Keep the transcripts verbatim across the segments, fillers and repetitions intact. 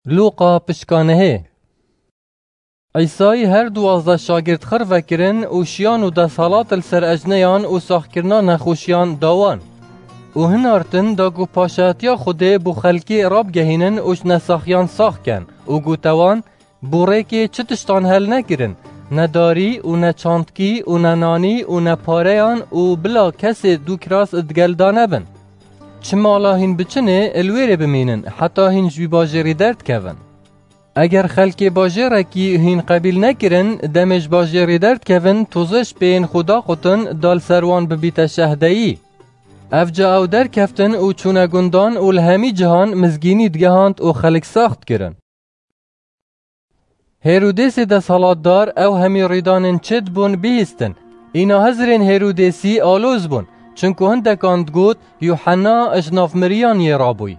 Lûqa pişka nehê. Îsayî her duwazdeh şagirt xir vekirin û şiyan û desthilat li ser ecneyan û saxkirina nexweşiyan da wan. Û hinartin da ku paşayetiya Xwedê bo xelkê rabgehînin û ji nesaxiyan sax ken û gote wan, bo rêkê çi tiştan hel nekirin, ne darî û ne çandkî û ne nanî û ne pareyan û bila kesê du kiras digel da nebin. Çi mala hîn biçinê, li wê rê bimînin, heta hîn ji wî bajêrî derdikevin. Eger xelkê bajêrekî hîn qebîl nekirin, demê ji bajêrî derdikevin, tozê ji pêyên xwe daqutin, da li ser wan bibîte şehdeyî. Evca ew derkeftin û çûne gundan û li hemî cihan mizgînî digehand û xelk sax dikirin. Hêrodêsê desthilatdar ew hemî rîdanên çi dibûn bihîstin. Îna hizirên Hêrodêsî aloz bûn, çinku hindekan digot, Yuhenna ji nav miriyan yê rabûy.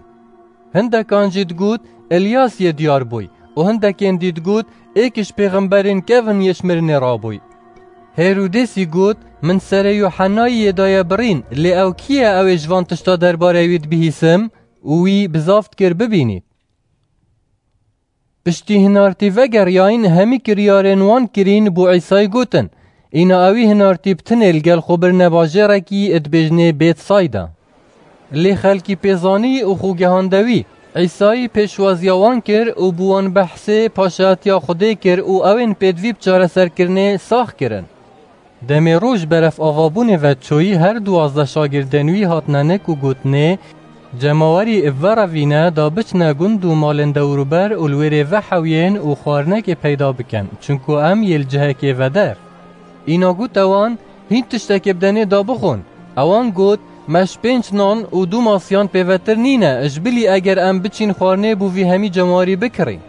Hindekan jî digot, Îlyas yê diyar bûy û hindekên dî digot, êk ji pêxemberên kevin yê ji mirinê rabûy. Hêrodêsî got, Min serê Yuhennayî yê daye birîn, lê ew kî ye ew ê ji van tişta derbarê wî dibihîsim? Û wî bizav dikir bibînît. Piştî hinartî vegeriyayîn, hemî kiryarên wan kirîn bo Îsayî gotin. Îna ewî hinartî bi tinê li gel xwe birine bajêrekî dibêjinê Bêtsayda. Lê xelkî pê zanî û xwe gehande wî. Îsayî pêşwaziya wan kir û bi wan behsê paşayetiya Xwedê kir û ewên pêdivî bi çareserkirinê sax kirin. Demê roj beref avabûnê ve çoyî, her duwazdeh şagirdên wî hatine nik û gotinê, Cemawerî bi ve re vîne da biçine gund û malên dewrûber û li wê rê vehewiyên û xwarinekê peyda bikin, çinku em yê li cihekê veder. Îna gote wan, Hîn tiştekê bidenê da bixwin. Ewan got, Me ji pênc nan û du masiyan pêvetir nîne, ji bilî eger em biçîn xwarinê bo vî hemî cemawerî bikirîn.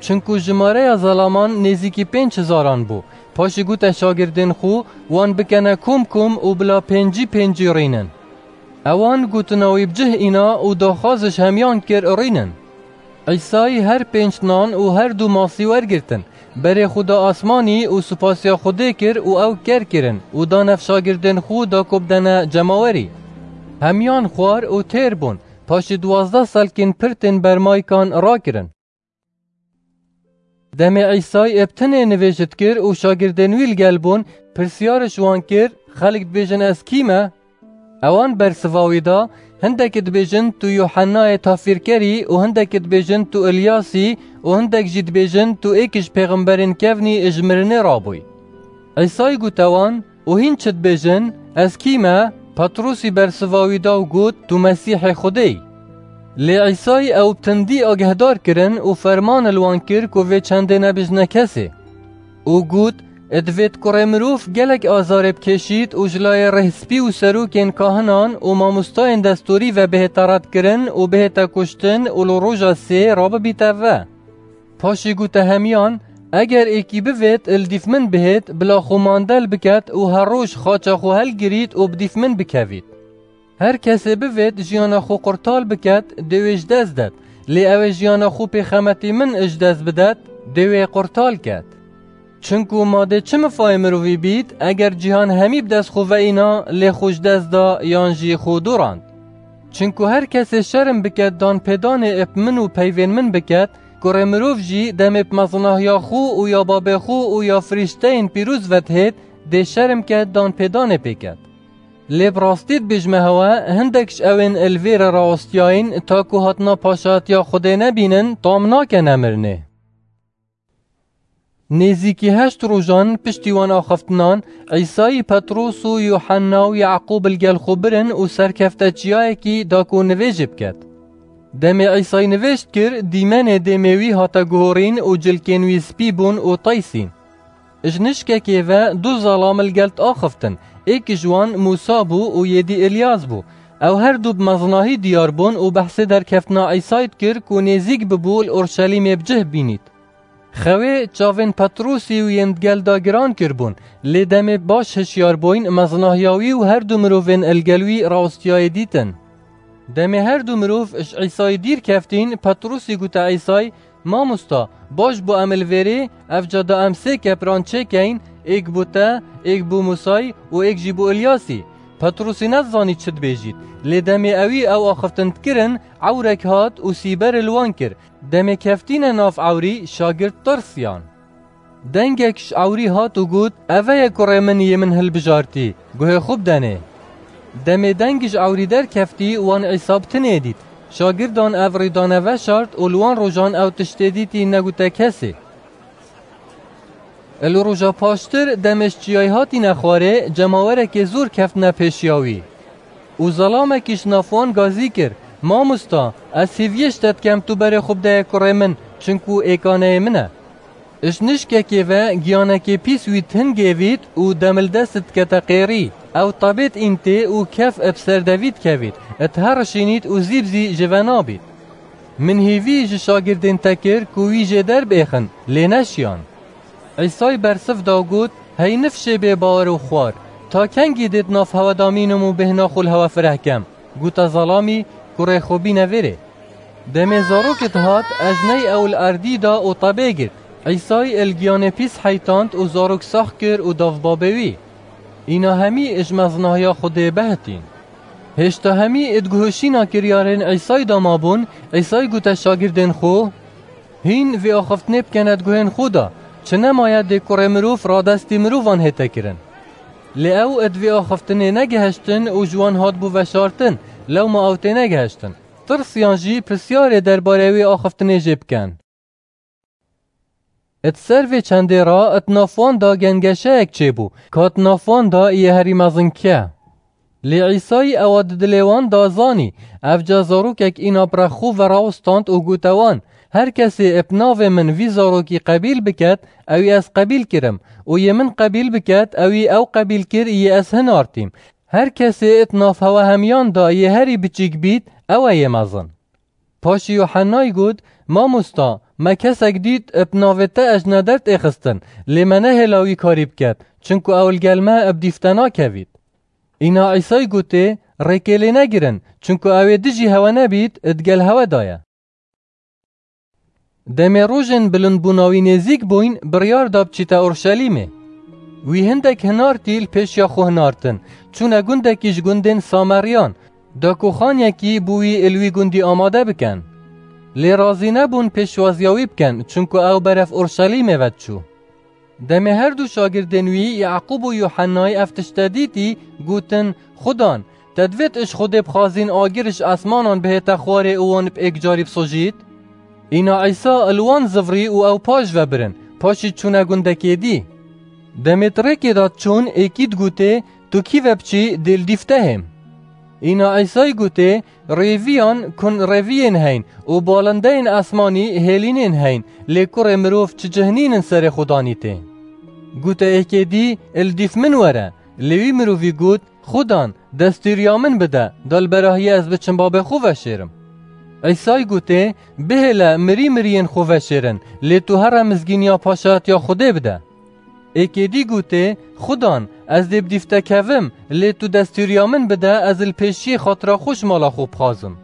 Çinku jimareya zelaman nêzîkî pênc hizaran bû. Paşê gote şagirdên xwe, wan bikene kom kom û bila pêncî pêncî rînin. Ewan gotina wî bi cih îna û daxwaz ji hemiyan kir rînin. Îsayî her pênc nan û her du masî wergirtin, berê xwe da asmanî û supasiya Xwedê kir û ew ker kirin û da nav şagirdên xwe da ku bidene cemawerî. Hemiyan xwar û têr bûn, paşê duwazdeh selkên pir tên bermaykan rakirin. Demê Îsayî bi tinê nivêj dikir û şagirdên wî li gel bûn, pirsyar ji wan kir, Xelk dibêjin ez kî me? Ewan bersiva wî da, Hindek dibêjin tu Yuhennayê Tafîrkerî û hindek dibêjin tu Îlyasî û hindek jî dibêjin tu êk ji pêxemberên kevnî ji mirinê rabûy. Îsayî gote wan, Û hîn çi dibêjin? Ez kî me? Petrûsî bersiva wî da û got, Tu Mesîhê Xwedê yî. Lê Îsayî ew bi tindî agehdar kirin û ferman li wan kir ku vê çendê nebêjine kesê. Û got, Divêt Kurê Mirov gelek azarê bikêşît û ji layê rêhspî û serokên kahinan û mamostayên destûrî ve bihête redkirin û bihête kuştin û li roja sê rabibîte ve. Paşê gote hemiyan, Eger êkî bivêt li dîf min bihêt, bila xwe mandel biket û her roj xaça xwe helgirît û bi dîf min bikevît. Her kesê bivêt jiyana xwe qurtal biket, dê wê ji dest det. Lê ew ê jiyana xwe pêxemetî min ji dest bidet, dê wê qurtal ket. Çinku ma dê çi mifayê mirovî bît, eger cîhan hemî bi dest xwe veîna, lê xwe ji dest da yan jî xwe dorand? Çinku her kesê şerm biket danpêdanê bi min û peyvên min biket, Kurê Mirov jî demê bi mezinahiya xwe û ya babê xwe û ya firîşteyên pîroz vedihêt, dê şerm ket danpêdanê pê ket. Lê bi rastî dibêjime hewe, hindek ji ewên li vê re rawestiyayîn, ta ku hatina paşatiya Xwedê nebînin, tam nake nemirinê. Nêzîkî heşt rojan piştî wan axiftinan, Îsayî Petros û Yuhenna û Yaqûb li gel xwe birin û serkefte çiyayekî da ku nivêjê biket. Demê Îsayî nivêj dikir, dîmenê dêmê wî hate guhorîn û cilkên wî spî bûn û teysîn. Ji nişkekê ve du zelam li gel diaxiftin, êk ji wan Mûsa bû û yêdî Îlyas bû. Ew her du bi mezinahî diyar bûn û behsê derkeftina Îsayî dikir ku nêzîk bibû li Orşelîmê bi cih bînît. Xewê çavên Petrûsî û yên digel da giran kiribûn, lê demê baş hişyar bûyn, mezinahiya wî û her du mirovên li gel wî rawestiyayê dîtin. Demê her du mirov ji Îsayî dîr keftîn, Petrûsî gote Îsayî, Mamosta, baş bû em li vêrê, ev ca da em sê kepran çêkeyn, êk bû te, êk bû Mûsayî û êk jî bû Îlyasî. Petrûsî nezanî çi dibêjît, lê demê ewî ew axiftin dikirin, ewrek hat û sîberê li wan kir. Demê keftîne nav ewrî, şagirt tirsiyan. Dengek ji ewrî hat û got, "Eve ye kurê min yê min hilbijartî, guhê xwe bidenê." Demê deng ji ewrî derkeftî, wan Îsa bi tinê dît. Şagirdan ev rîdane veşart û li wan rojan ew tiştê dîtî negute kesê. Li roja paştir demê ji çiyayê hatîne xwarê, cemawerekê zor keftine pêşiya wî. Û zelamekî ji nav wan gazî kir, "Mamosta, ez hêviyê ji te dikem tu berê xwe bideyê kurê min, çinku êkaneyê min e." Ji nişkekê ve giyanekê pîs wî di hingê vît û demildest dikete qêrî. Ew tebêt întê û kef bi ser de vî dikevît, diherişînît û zî bi zî ji ve nabît. Min hêvî ji şagirdên te kir ku wî jê derbêxin, lê neşiyan. Îsay bersiv da û got, "Hey nifşê bêbawer û xwar, ta kengî dê di nav hewe de mînim û bêhna xwe li hewe fireh kem?" Gote zelamî, "Kurê xwe bîne vêrê." Demê zarokê dihat, ejney ew li erdî da û tebê girt. Îsay li giyanê pîs heytand û zarok sax kir û da babê wî. Îna hemî ji mezinahiya Xwedê behitîn. Hêşta hemî di guhişîna kiryarên Îsay de mabûn, Îsay gote şagirdên xwe, "Hîn vê axiftinê bikene di guhên xwe de, çi nemaye dê kurê mirov radestî mirovan hête kirin." Lê ew di vê axiftinê negihiştin û ji wan hatibû veşartin, lewma ew tênegihiştin. Tirsiyan jî pirsyarê derbarê wê axiftinê jê bikin. Di ser vê çendê re di nav wan de gengeşeyek çêbû, ka di nav wan de yê herî mezin kî ye. Lê Îsayî ewa di dilê wan de zanî, evca zarokek îna bi rexû ve rawstand û gote wan, "Her kesê bi navê min vî zarokî qebîl biket, ewî ez qebîl kirim, û yê min qebîl biket, ewî ew qebîl kir yê ez hinartîm. Her kesê di nav hewe hemiyan de yê herî biçîk bît, ew e yê mezin." Paşî Yuhennayî got, "Mamosta, me kesek dît, bi navê te ejne dertêxistin, lê me nehêla wî karî biket, çinku ew li gel me bi dîf te nakevît." Îna Îsayî gotê, "Rêkê lê negirin, çinku ew ê dijî hewe nebît, di gel hewe de ye." Demê rojên bilindbûna wî nêzîk bûyn, biryar da biçîte Urşelîmê. Wî hindek hinartî li pêşiya xwe hinartin, çûne gundekî ji gundên Sameriyan, da ku xaniyekî bo wî li wî gundî amade bikin. Lê razî nebûn pêşwaziya wî bikin, çinku ew berev Urşelîmê ve diçû. Demê her du şagirdên wî, Yaqûb û Yuhennayî ev tişte dîtî, gotin, "Xudan, te divêt ji Xwedê bixwazîn agir ji esmanan bihête xwarê û wan bi êkcarî bisojît?" Îna Îsa li wan zivrî û ew paş ve birin, paşî çûne gundekê dî. Demê di rêkê de diçûn, êkî digotê, "Tu kî ve biçî, dê li dîf te hêm." Îna Îsayî gotê, "Rêviyan kun rêviyên heyn û balindeyên esmanî hêlînên heyn, lê kurê mirov çi cihnînin serê xwe danîtê." Gote êkê dî, "Li dîf min were." Lê wî mirovî got, "Xudan, destûriya min bide, da li berahiya ez biçim babê xwe veşêrim." Îsayî gotê, "Bihêle, mirî miriyên xwe veşêrin, lê tu here mizgîniya paşayetiya Xwedê bide." Êkê dî gotê, "Xudan, ez dê bi dîf te kevim, lê tu destûriya min bide, ez li pêşiyê xatira xwe ji mala xwe bixwazim."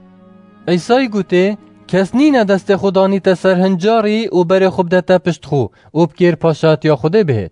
Îsayî gotê, "Kes nîne destê xwe danîte ser hincarî û berê xwe bidete pişt xwe û bikêr paşatiya Xwedê bihêt."